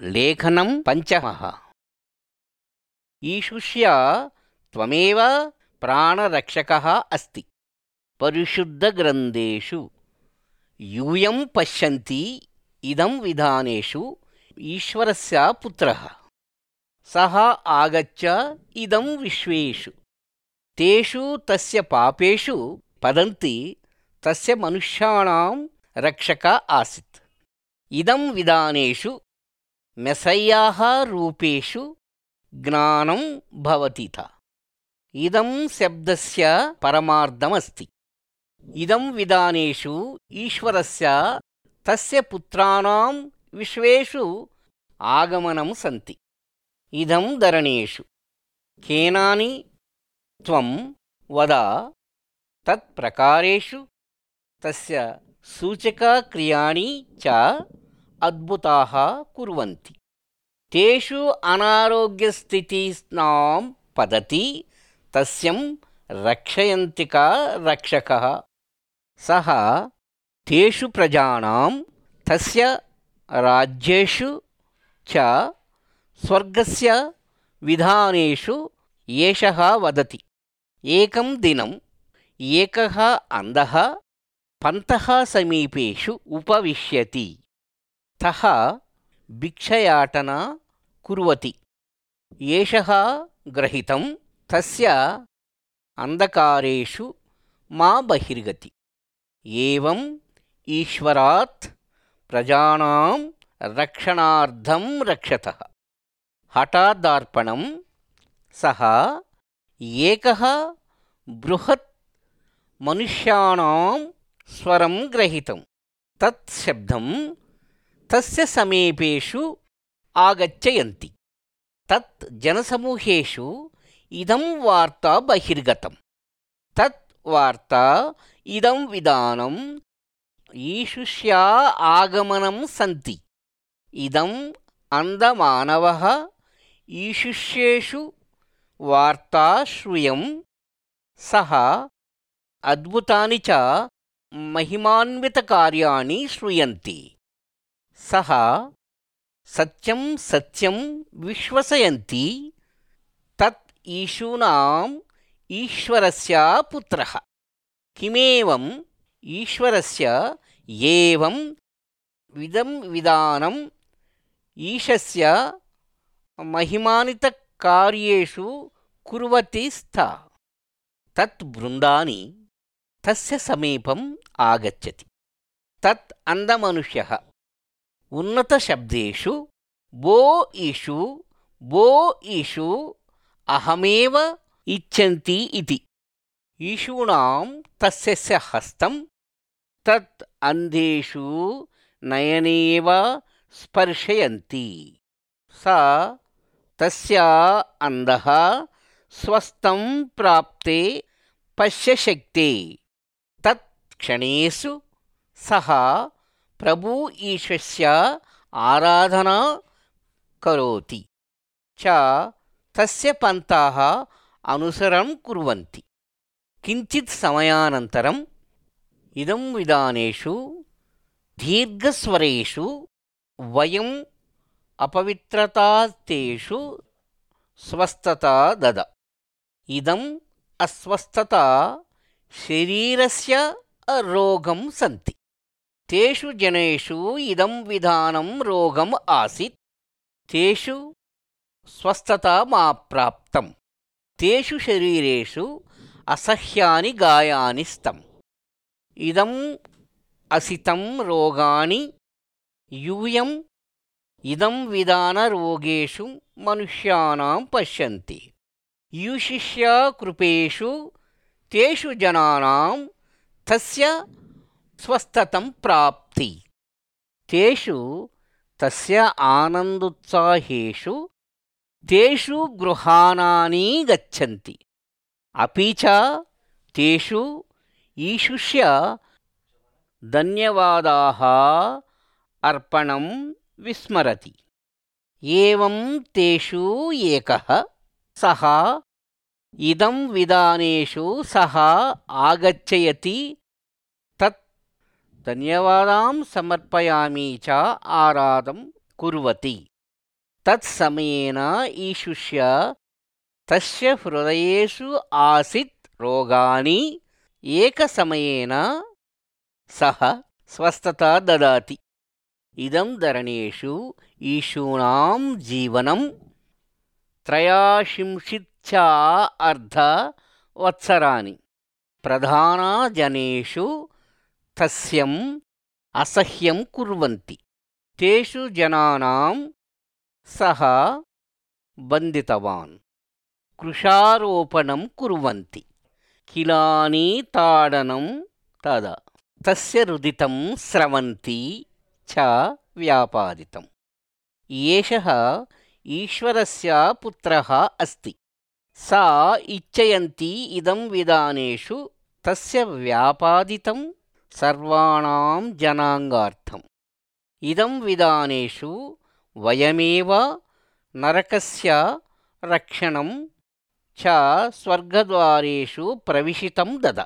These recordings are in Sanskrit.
लेखनं पञ्चमः। ईशुष्य त्वमेव प्राणरक्षकः अस्ति। परिशुद्धग्रन्थेषु यूयं पश्यन्ति इदं विधानेषु ईश्वरस्य पुत्रः। सः आगच्छ इदं विश्वेषु तेषु तस्य पापेषु पतन्ति तस्य मनुष्याणां रक्षक आसीत्। इदं विधानेषु मेसय्याः रूपेषु ज्ञानं भवतीथ। इदं शब्दस्य परमार्थमस्ति। इदं विधानेषु ईश्वरस्य तस्य पुत्राणां विश्वेषु आगमनं सन्ति। इदं धरणेषु केनानि त्वं वद तत्प्रकारेषु तस्य सूचकक्रियाणि च अद्भुताः कुर्वन्ति। तेषु अनारोग्यस्थितिस्नां पतति तस्यं रक्षयन्तिक रक्षकः। सः तेषु प्रजानां तस्य राज्येषु च स्वर्गस्य विधानेषु एषः वदति। एकं दिनम् एकः अन्धः पन्तः समीपेषु उपविश्यति। तः भिक्षयाटना कुर्वति। एषः ग्रहीतं तस्य अन्धकारेषु मा बहिर्गति। एवम् ईश्वरात् प्रजानां रक्षणार्थं रक्षतः। हठादार्पणं सः एकः बृहत् मनुष्याणां स्वरं ग्रहीतं। तत् शब्दं तस्य समीपेषु आगच्छन्ति। तत् जनसमूहेषु इदं वार्ता बहिर्गतं। तत् वार्ता इदं विधानम् ईशुष्या आगमनं सन्ति। इदम् अन्धमानवः ईशुष्येषु वार्ता श्रूयं। सः अद्भुतानि च महिमान्वितकार्याणि श्रूयन्ति। सः सत्यं सत्यं विश्वसयन्ति तत् ईशूनाम् ईश्वरस्य पुत्रः। किमेवम् ईश्वरस्य एवं विदं विधानम् ईशस्य महिमान्वितकार्येषु कुर्वति स्तः। तत् बृन्दानि तस्य समीपम् आगच्छति। तत् अन्धमनुष्यः उन्नतशब्देषु भो ईशु भो ईशु अहमेव इच्छन्ति इति। ईशूनां तस्य हस्तं तत् अन्धेषु नयनेव स्पर्शयन्ति। स तस्य अन्धः स्वस्थं प्राप्ते पश्यशक्ते। तत् क्षणेषु सः प्रभु ईशस्य आराधना करोति च तस्य पन्थाः अनुसरणं कुर्वन्ति। किञ्चित् समयानन्तरम् इदं विधानेषु दीर्घस्वरेषु वयम् अपवित्रतास्तेषु स्वस्थता दद। इदम् अस्वस्थता शरीरस्य रोगं सन्ति। तेषु जनेषु इदं विधानं रोगम् आसीत्। तेषु स्वस्थता मा प्राप्तं। तेषु शरीरेषु असह्यानि गायानि स्तम्। इदम् असितं रोगाणि यूयम् इदं विधानरोगेषु मनुष्याणां पश्यन्ति। ईशुष्य कृपेषु तेषु जनानां तस्य स्वस्थतं प्राप्ति। तेषु तस्य आनन्दोत्साहेषु तेषु गृहाणानि गच्छन्ति। अपि च तेषु ईशुष्य धन्यवादाः अर्पणं विस्मरति। एवं तेषु एकः सः इदं विधानेषु सः आगच्छति। तत् धन्यवादां समर्पयामि च आराधं कुर्वति। तत्समयेन ईशुष्य तस्य हृदयेषु आसीत् रोगाणि एकसमयेन सः स्वस्थता ददाति। इदं धरणेषु ईशूनां जीवनं 83 प्रधानजनेषु तस्यम् असह्यं कुर्वन्ति। तेषु जनानां सः बन्धितवान्, कृषारोपणं कुर्वन्ति, किलानि ताडनं तदा तस्य रुदितं स्रवन्ति च व्यापादितम्। एषः ईश्वरस्य पुत्रः अस्ति। सा इच्छयन्ति इदं विधानेषु तस्य व्यापादितं सर्वाणां जनाङ्गार्थम्। इदं विधानेषु वयमेव नरकस्य रक्षणं च स्वर्गद्वारेषु प्रविशितं दद।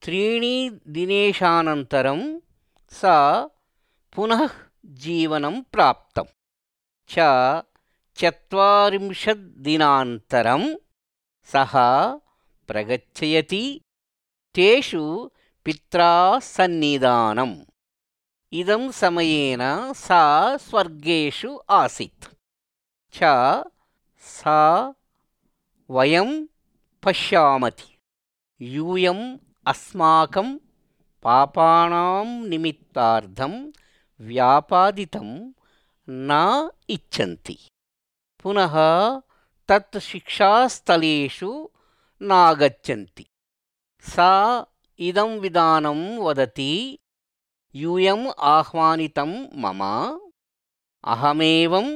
3 दिनेशानन्तरं सा पुनः जीवनं प्राप्तं च 40 दिनान्तरं सः प्रगच्छयति तेषु पित्रा सन्निधानम्। इदं समयेन सा स्वर्गेषु आसीत् च सा वयं पश्यामति यूयम् अस्माकं पापानां निमित्तार्थं व्यापादितं न इच्छन्ति। पुनः तत् शिक्षास्थलेषु नागच्छन्ति। सा इदं विधानं वदति, यूयम् आह्वानितं मम, अहमेवं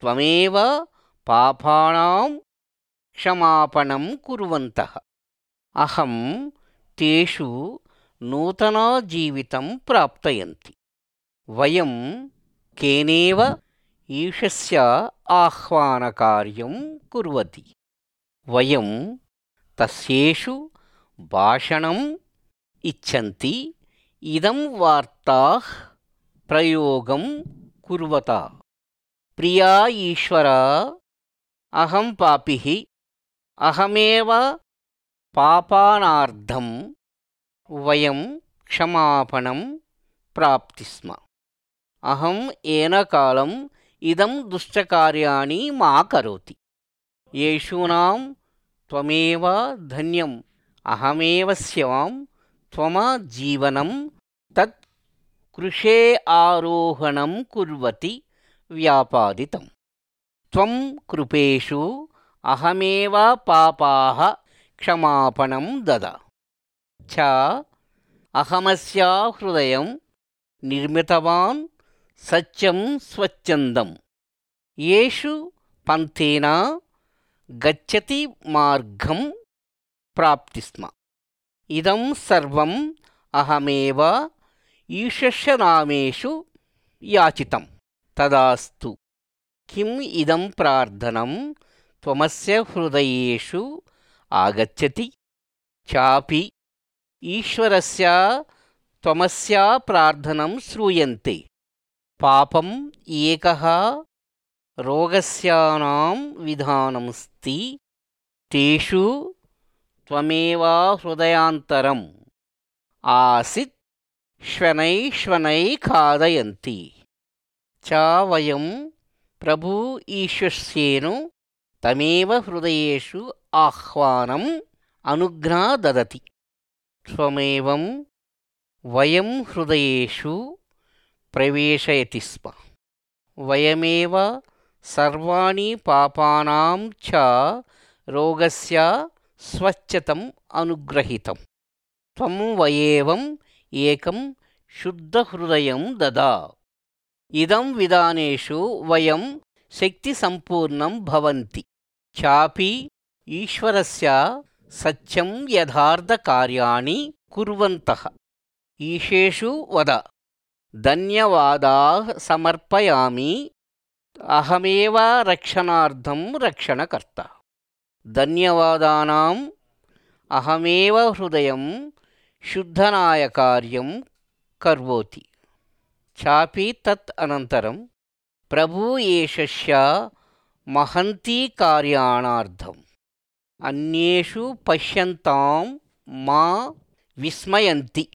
त्वमेव पापानां क्षमापणं कुर्वन्तः। अहं तेषु नूतनजीवितं प्राप्तयन्ति। वयं केनेव ईशस्य आह्वानकार्यं कुर्वति। वयं तस्येषु भाषणम् इच्छन्ति इदं वार्ताः प्रयोगं कुर्वता। प्रिया ईश्वर, अहं पापिः, अहमेव पापानार्थं वयं क्षमापणं प्राप्ति स्म। अहं येनकालम् इदं दुष्टकार्याणि मा करोति। येषूणां त्वमेव धन्यम्, अहमेव स्यां त्वम जीवनं तत् कृषे आरोहणं कुर्वति व्यापादितम्। त्वं कृपेषु अहमेव पापाः क्षमापणं दद च अहमस्य हृदयं निर्मितवान् सत्यं स्वच्छन्दं। येषु पन्थेन गच्छति मार्गं प्राप्ति स्म। इदं सर्वम् अहमेव ईशस्य नामेषु याचितं। तदास्तु। किम् इदं प्रार्थनं त्वमस्य हृदयेषु आगच्छति चापि ईश्वरस्य त्वमस्य प्रार्थनं श्रूयन्ते। पापम् एकः रोगस्यानां विधानमस्ति, तेषु त्वमेव हृदयान्तरम् आसीत् श्वनैः खादयन्ति च वयं प्रभु ईशस्येनु तमेव हृदयेषु आह्वानम् अनुज्ञा ददति। त्वमेवं वयं हृदयेषु प्रवेशयति स्म। वयमेव सर्वाणि पापानां च रोगस्य स्वच्छतम् अनुग्रहीतम्। त्वं वयेवम् एकं शुद्धहृदयं ददा। इदं विधानेषु वयं शक्तिसम्पूर्णं भवन्ति चापि ईश्वरस्य सत्यं यथार्थकार्याणि कुर्वन्तः। ईशेषु वद, धन्यवादाः समर्पयामि, अहमेव रक्षणार्थं रक्षणकर्ता। धन्यवादानाम् अहमेव हृदयं शुद्धनाय कार्यं करोति चापि तत् अनन्तरं प्रभूयेषस्य महन्ति कार्याणार्थम् अन्येषु पश्यन्तां मा विस्मयन्ति।